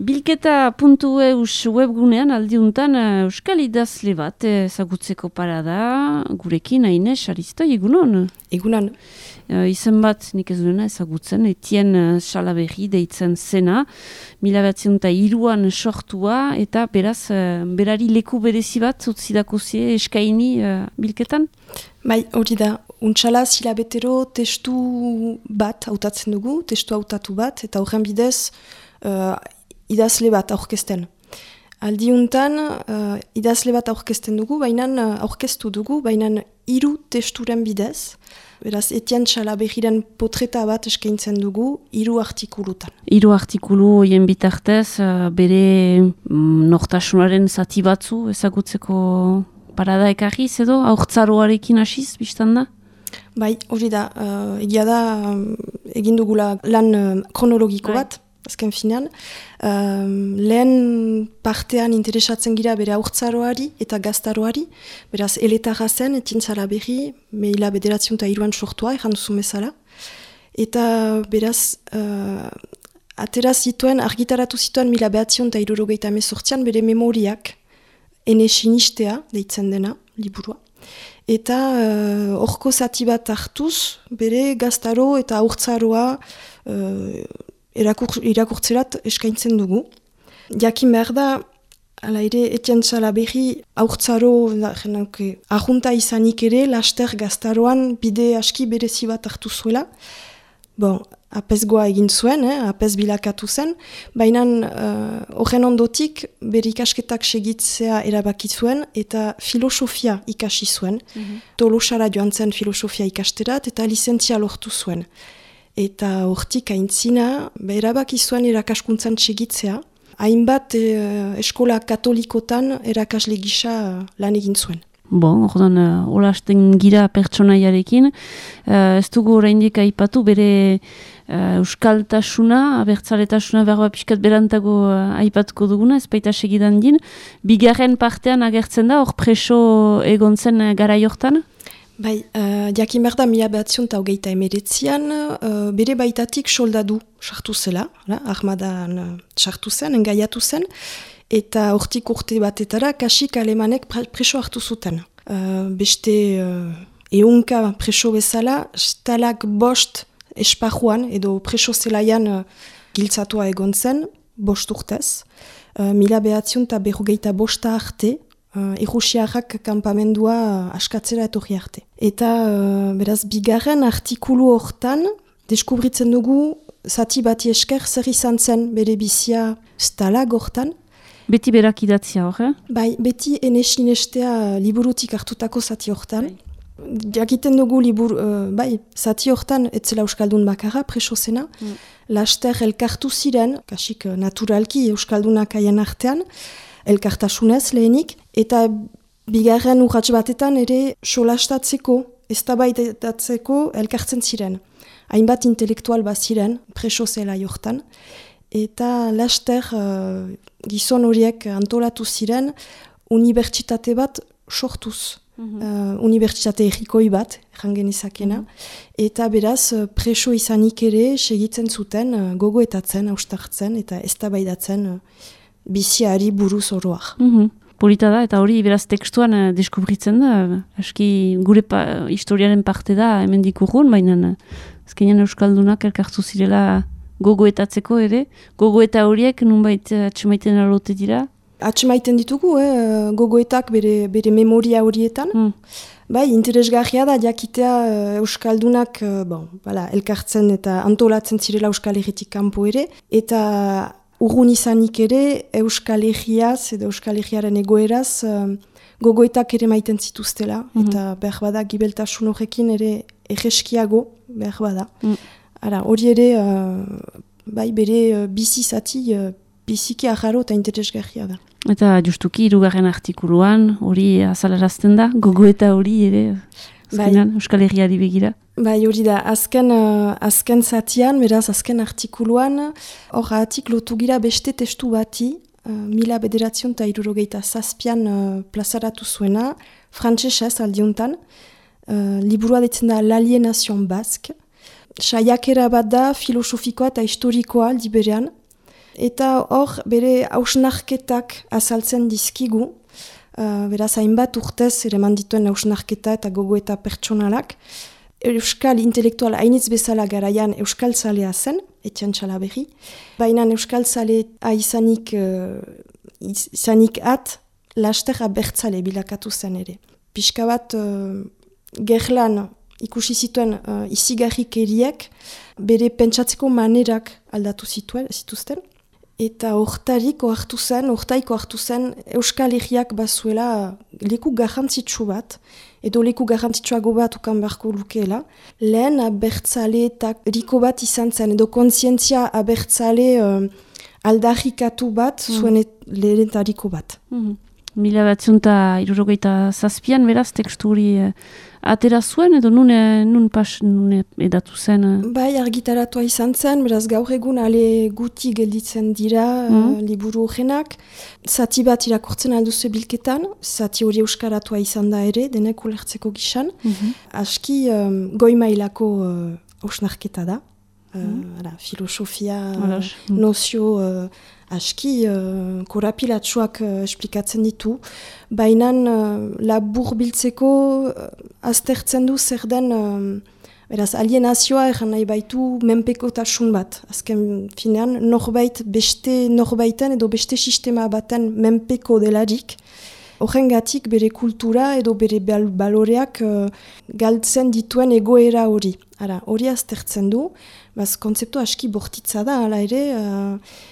Bilketa.eus webgunean aldiuntan euskal idazle bat ezagutzeko parada gurekin Aines Aristoi, egunon? Egunon. Izen bat nik ez duena ezagutzen, Etienne Salaberri deitzen zena, 1903an sortua eta beraz berari leku berezi bat utzidakozie eskaini bilketan? Bai, hori da. Untsala silabetero testu bat hautatzen dugu, testu hautatu bat, eta horren bidez idazle bat aurkezten. Aldiuntan idazle bat aurkezten dugu, aurkeztu dugu, baina 3 testuren bidez. Beraz, Etienne Salaberriren potreta bat eskaintzen dugu 3 artikulutan. 3 artikulu hoien bitartez, bere nortasunaren zati batzu ezagutzeko parada ekarriz edo, haurtzaroarekin hasiz, biztan da? Bai, hori da, egia da, egin dugula lan kronologiko bat, azken finean. Lehen partean interesatzen gira bere haurtzaroari eta gaztaroari, beraz, eletarra zen, Etienne Salaberri, 1903an sortua, erran duzu bezala. Eta beraz, argitaratu zituen 1978an bere memoriak, ene sinistea, deitzen dena, liburua. Eta horko zati bat hartuz, bere gaztaro eta haurtzaroa irakurtzerat eskaintzen dugu. Jakin behar da, hala ere, Etienne Salaberri haurtzaro ahunta izanik ere, laster gaztaroan bide aski berezi bat hartu zuela. Bon, apezgoa egin zuen, apez bilakatu zen, baina horren ondotik bere ikasketak segitzea erabaki zuen eta filosofia ikasi zuen. Tolosara joan zen filosofia ikasterat eta lizentzia lortu zuen. Eta hortik aintzina, erabaki zuen erakaskuntzan segitzea, hainbat eskola katolikotan erakasle gisa lan egin zuen. Bon, ordan, olasten gira pertsonaiarekin, ez dugu oraindik aipatu bere euskaltasuna, abertzaletasuna berba pixkat berantago aipatuko duguna, ez baita segidan din. Bigarren partean agertzen da, hor preso egon zen garai hortan? Bai, jakin behar da 1929an, bere baitatik soldadu sartu zela, armadan sartu zen, engaiatu zen, eta hortik urte batetara kasik alemanek preso hartu zuten. Beste ehunka preso bezala, Stalag 5 esparruan edo preso zelaian giltzatua egon zen, 5 urtez. 1945 arte, Errusiarrak kanpamendua askatzera etorri arte. Eta beraz, bigarren artikulu hortan, deskubritzen dugu zati bati esker zer izan zen bere bizia Stalag hortan. Beti berak idatzia hor, Bai, beti ene sinestea liburutik hartutako zati hortan. Jakiten dugu zati hortan etzela euskaldun bakarra, preso zena. Laster elkartu ziren, kasik naturalki euskaldunak haien artean, elkartasunez lehenik, eta bigarren urrats batetan ere solastatzeko, eztabaitatzeko elkartzen ziren. Hainbat intelektual bat ziren, preso zela hortan. Eta laster gizon horiek antolatu ziren unibertsitate bat sortuz. Unibertsitate errikoi bat, errangen izakena. Eta beraz, preso izanik ere segitzen zuten gogoetatzen, austartzen eta eztabaidatzen biziari buruz oroak. Polita da, eta hori beraz tekstuan deskubritzen da. Aski gure historiaren parte da hemen dikurun, baina azkenean euskaldunak elkartu zirela gogoetatzeko ere. Gogoeta horiek nunbait atxemaiten alote dira? Atxemaiten ditugu, gogoetak bere memoria horietan. Bai, interesgarria da jakitea euskaldunak elkartzen eta antolatzen zirela Euskal Herritik kanpo ere. Eta urrun izanik ere Euskal Herriaz edo Euskal Herriaren egoeraz gogoetak ere maiten zituztela. Eta behar bada gibeltasun horrekin ere erreskiago behar bada. Hori ere, bere bizi zati biziki aharo eta interesgarria da. Eta justuki 3. artikuluan hori azalarazten da, gogoeta hori ere Euskal Herriari begira. Bai, hori da, azken zatian, beraz azken artikuluan, hor atik lotu gira beste testu bati, 1967an plazaratu zuena, frantsesez aldiuntan, liburua ditzen da L'Aliénation Basque, saiakera bat da filosofikoa eta historikoa aldi berean, Eta hor, bere hausnarketak azaltzen dizkigu, beraz hainbat urtez ere mandituen hausnarketa eta gogoeta pertsonalak. Euskal intelektual hainitz bezala garaian euskal zalea zen, Etienne Chalaberri. Baina euskal zalea izanik laster abertzale bilakatu zen ere. Pixka bat gerlan ikusi zituen izigarrikeriek bere pentsatzeko manerak aldatu zituzten. Eta hortaiko hartu zen Euskal Herriak bazuela leku garrantzitsu bat, edo leku garrantzitsuago bat ukan beharko lukeela. Lehen abertzale eta riko bat izan zen, edo kontzientzia abertzale aldarrikatu bat zuen lehenetariko bat. 1967 beraz tekstu hori atera zuen edo nun edatu zen? Bai, argitaratua izan zen, beraz gaur egun ale guti gelditzen dira liburu horrenak. Zati bat irakurtzen alduzu bilketan, zati hori euskaratua izan da ere, denek ulertzeko gisan. Aski goi mailako hausnarketa da. Filosofia, nozio aski korapilatsuak esplikatzen ditu, baina labur biltzeko aztertzen du zer den beraz alienazioa egan nahi baitu menpekotasun bat. Azken finean beste norbaiten edo beste sistema baten menpeko delarik. Horrengatik bere kultura edo bere baloreak galtzen dituen egoera hori. Hori aztertzen du, kontzeptu aski bortitza da, hala ere,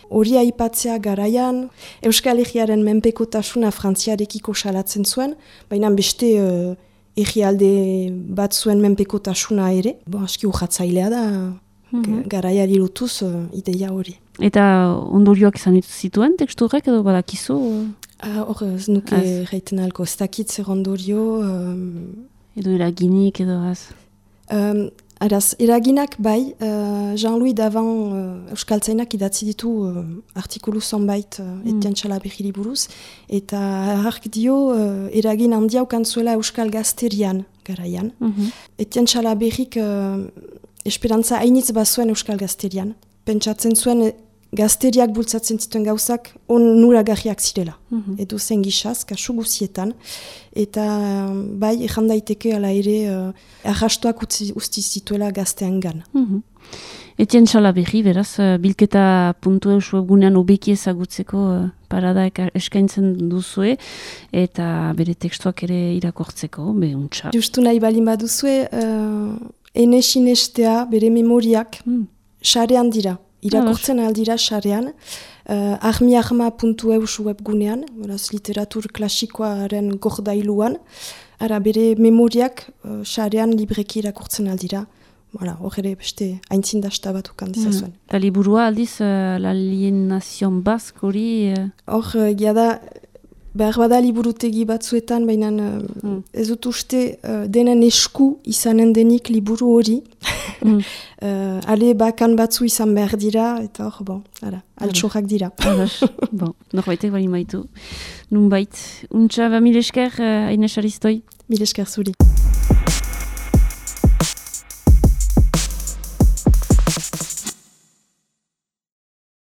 hori aipatzea garaian, Euskal Herriaren menpekotasuna Frantziarekiko salatzen zuen, baina beste herrialde bat zuen menpekotasuna ere. Aski urratzailea da, garaiari lotuz ideia hori. Eta ondorioak izan zituen tekstu horrek edo badakizu? Hor ez nuke reiten alko, ez dakit zer ondorio. Edo eraginik edo az? Eraginak bai, Jean-Louis Davant euskaltzainak idatzi ditu artikulu zonbait Etienne Chalaberri buruz, eta hark dio eragin handia ukantzuela euskal gazterian garaian. Etienne Chalaberrik esperantza hainitz bazuen euskal gazterian. Pentsatzen zuen gazteriak bultzatzen zituen gauzak onuragarriak zirela. Edo zen gisaz, kasu guzietan. Eta bai, ejan daiteke ala ere arrastoak usti zituela gaztean gan. Etienne Chalaberri, beraz, bilketa .eus webgunean obeki ezagutzeko parada eskaintzen duzue, eta bere tekstuak ere irakortzeko, behuntza. Justu nahi bali baduzue, ene sinestea, bere memoriak, sarean dira. Irakurtzen aldira sarean, armiarma.eus webgunean, literatur klasikoaren gordailuan, bere memoriak sarean libreki irakurtzen aldira. Hor ere beste aintzindasta bat ukan dizazuen. Eta liburua aldiz, l'alienazio bask hori? Hor, da behar bada liburutegi batzuetan, baina ez dut uste denen esku izanen denik liburu hori. Ale bakan batzu izan behar dira, eta hor, altxorrak dira. Norbaitek bali maitu. Nunbait. Untxa, mil esker, Aines Aristoi? Mil esker zuri.